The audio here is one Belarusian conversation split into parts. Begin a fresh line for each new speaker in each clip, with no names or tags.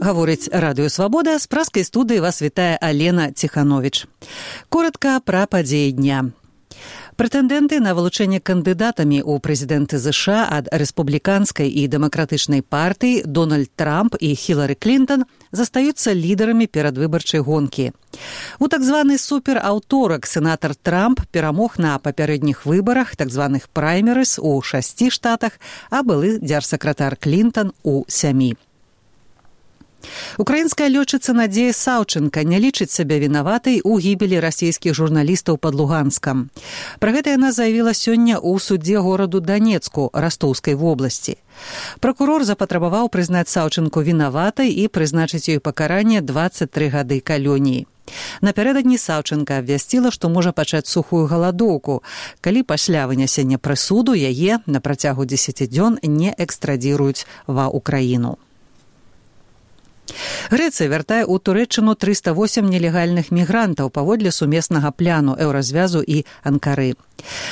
Гаворыць Радыё Свабода, з праскай студыі вас вітае Алена Ціхановіч. Коротка пра падзеі дня. Прэтэндэнты на вылучэнне кандыдатамі ў прэзідэнты США ад рэспубліканскай і дэмакратычнай партыі Дональд Трамп і Хілары Клінтон застаюцца лідарамі перадвыбарчай гонкі. У так званы супераўторак сенатар Трамп перамог на папярэдніх выбарах, так званых праймерыс, у 6 штатах, а былы дзяржсакратар Клінтон у 7. Украінская лётчыца Надзея Саўчэнка не лічыць сябе вінаватай у гібелі расійскіх журналістаў пад Луганскам. Пра гэта яна заявіла сёння ў судзе гораду Данецку Растоўскай вобласці. Пракурор запатрабаваў прызнаць Саўчэнку вінаватай і прызначыць ёй пакаранне 23 гады калоніі. Напярэдадні Саўчэнка абвясціла, што можа пачаць сухую галадоўку, калі пасля вынясення прысуду яе на працягу 10 дзён не экстрадзіруюць ва Ўкраіну. Грэцыя вяртае ў Турэччыну 308 нелегальных мігрантаў паводле сумеснага пляну Еўразвязу і Анкары.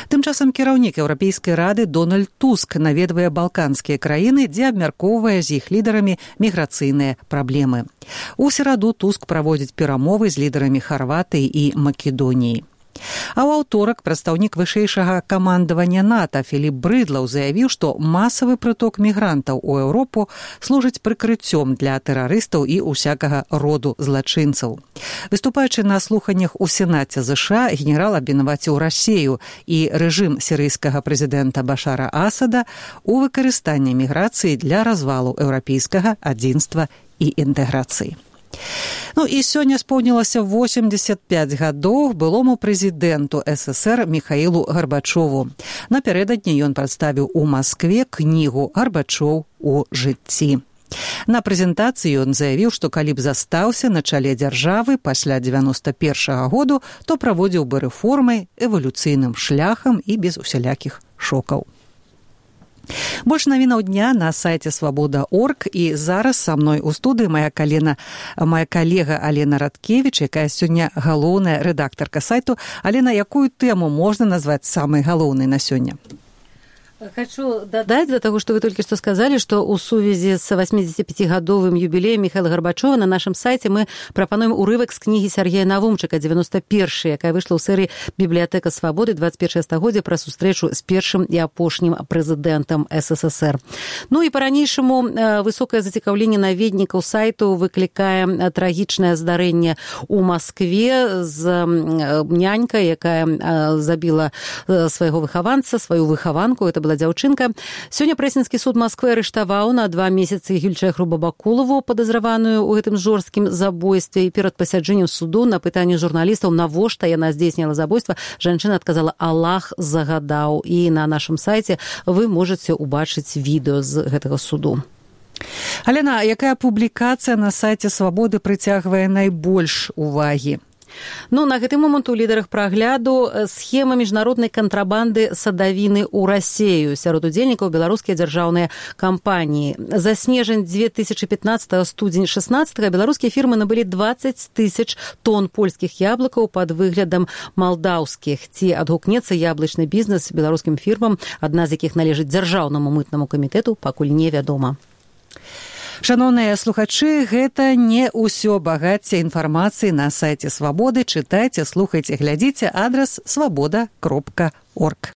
Тым часам кіраўнік Еўрапейскай рады Дональд Туск наведвае балканскія краіны, дзе абмяркоўвае з іх лідарамі міграцыйныя праблемы. У сераду Туск праводзіць перамовы з лідарамі Харватыі і Македоніі. А ў аўторак прадстаўнік вышэйшага камандавання НАТО Філіп Брыдлаў заявіў, што масавы прыток мігрантаў у Еўропу служыць прыкрыццём для тэрарыстаў і усякага роду злачынцаў. Выступаючы на слуханнях у Сенаце ЗША, генерал абвінаваціў Расею і рэжым сірыйскага прэзідэнта Башара Асада у выкарыстанні міграцыі для развалу еўрапейскага адзінства і інтэграцыі. І сёння споўнілася 85 гадоў былому прэзідэнту СССР Міхаілу Гарбачову. Напярэдадні ён прадставіў у Маскве кнігу «Гарбачоў у жыцці». На прэзентацыі ён заявіў, што калі б застаўся на чале дзяржавы пасля 91-го году, то праводзіў бы рэформы эвалюцыйным шляхам і без усялякіх шокаў. Больш навінаў дня на сайце свабода.орг, і зараз са мной у студыі моя калега Алена Радкевіч, якая сёння галоўная рэдактарка сайту. Алена, якую тэму можна назваць самай галоўнай на сёння?
Хочу додать за того, что вы только что сказали, что у сувязі с 85-гадовым юбілеем Михаила Горбачова на нашем сайте мы прапануем урывак з кнігі Сергея Навумчыка «91», якая выйшла ў серыі «Бібліятэка свабоды. 21 стагоддзе» пра сустрэчу з першым і апошнім прэзідэнтам СССР. І па-ранейшаму высокае зацікаўленне наведнікаў сайту выклікае трагічнае здарэнне ў Маскве з нянькай, якая забіла свайго выхаванца, сваю выхаванку. Это была дзяўчынка. Сёння прэсінскі суд Масквы арыштаваў на 2 месяцы Гюльчэхру Бабакулову, падазраваную ў гэтым жорсткім забойстве. І перад пасяджэннем суду на пытанне журналістаў, навошта яна здзейсніла забойства, жанчына адказала: «Аллах загадаў». І на нашым сайце вы можаце ўбачыць відэо з гэтага суду.
Алена, якая публікацыя на сайце Свабоды прыцягвае найбольш увагі?
На гэты момант у лідарах прагляду схема міжнароднай кантрабанды садавіны ў Расею. Сярод удзельнікаў беларускія дзяржаўныя кампаніі. За снежань 2015, студзень 16 беларускія фірмы набылі 20 000 тонн польскіх яблыкаў пад выглядам малдаўскіх. Ці адгукнецца яблычны бізнес беларускім фірмам, адна з якіх належыць дзяржаўнаму мытнаму камітэту, пакуль невядома.
Шаноўныя слухачы, гэта не ўсё багацце інфармацыі на сайце Свабоды. Чытайце, слухайце, глядзіце. Адрас свабода.орг.